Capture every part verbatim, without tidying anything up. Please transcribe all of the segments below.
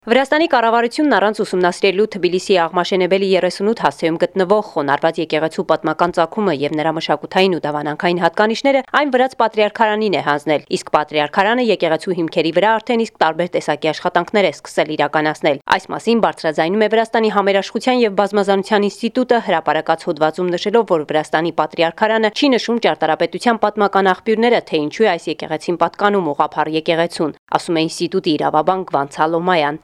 Վրաստանի կառավարությունն առանց ուսումնասիրելու Թբիլիսիի Աղմաշենեբելի երեսունութ հասցեում գտնվող խոնարհված եկեղեցու պատմական ծագումը եւ նրա մշակութային ու դավանանքային հատկանիշները այն վրաց պատրիարքարանին է հանձնել, իսկ պատրիարքարանը եկեղեցու հիմքերի վրա արդեն իսկ տարբեր տեսակի աշխատանքներ է սկսել իրականացնել։ Այս մասին բարձրաձայնում է Վրաստանի Համերաշխության եւ Բազմազանության ինստիտուտը հրապարակած հոդվածում նշելով, որ Վրաստանի պատրիարքարանը չի նշում ճարտարապետության պատմական աղբյուրները, թե ինչու է այս եկեղեցին պատկանում ուղղափառ եկեղեցուն, ասում է ինստիտուտի իրավաբան Գվան Սալոմայան։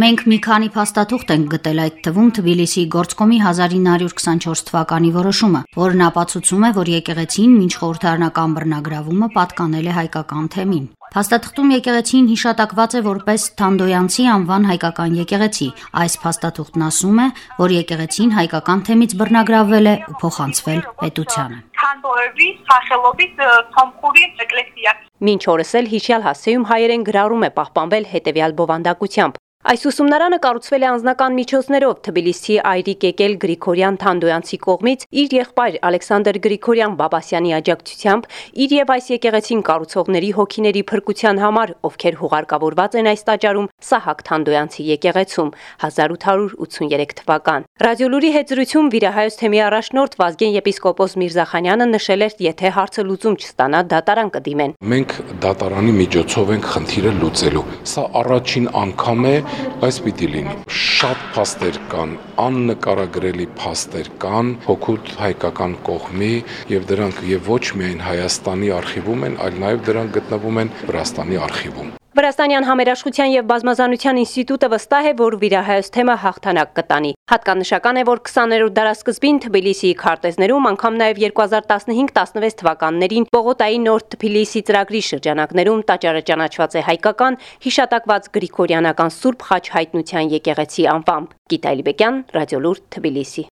Մենք մի քանի փաստաթուղթ ենք գտել, այդ թվում Թբիլիսիի գործկոմի հազար ինը հարյուր քսանչորս թվականի որոշումը, որն ապացուցում է, որ եկեղեցին մինչ խորհրդարանական բռնագրավումը պատկանել է հայկական թեմին։ Փաստաթղթում եկեղեցին հիշատակված է որպես Թանդոյանցի անվան հայկական եկեղեցի։ Այս փաստաթուղթն ասում է, որ եկեղեցին հայկական թեմից բռնագրավվել է ու փոխանցվել պետությանը։ Մինչ օրս էլ հիշյալ հասցեում հայերեն գրառում է պահպանվել հետևյալ բովանդակությամբ։ Այս ուսումնարանը կառուցվել է անձնական միջոցներով Թբիլիսիի այրիկ եկել Գրիգորյան Թանդոյանցի կողմից իր եղբայր Ալեքսանդր Գրիգորյան Բաբասյանի աջակցությամբ իր եւ այս եկեղեցին կառուցողների հոգիների փրկության համար, ովքեր հուղարկավորված են այս տաճարում Սահակ Թանդոյանցի եկեղեցում հազար ութ հարյուր ութսուններեք թվական։ Ռադիոլուրի հետ զրույցում Վիրահայոց թեմի առաջնորդ Վազգեն եպիսկոպոս Միրզախանյանը նշել էր, եթե հարցը լուծում չստանա, դատարան կդիմեն։ Մենք դատարանի միջոցով ենք խնդիրը լուծելու։ Սա առաջին անգամ է, այս պիտի լինի։ Շատ փաստեր կան, աննկարագրելի փաստեր կան հօգուտ հայկական կողմի եւ դրանք եւ ոչ միայն Հայաստանի արխիվում են, այլ նաեւ դրանք գտնվում են Վրաստանի արխիվում։ Վրաստանյան Համերաշխության եւ Բազմազանության ինստիտուտը վստահ է, որ Վիրահայոց թեմը հաղթանակ կտանի։ Հատկանշական է, որ քսաներորդ դարասկզբին Թբիլիսիի քարտեզներում, անգամ նաեւ երկու հազար տասնհինգ տասնվեց թվականներին Պողոտայի Նոր Թբիլիսի ծրագրի շրջանակներում տաճարը ճանաչված է հայկական հիշատակված գրիգորյանական Սուրբ Խաչ հայտնության եկեղեցի անվամբ։ Գիտա Իլբեկյան, Ռադիոլուր, Թբիլիսի։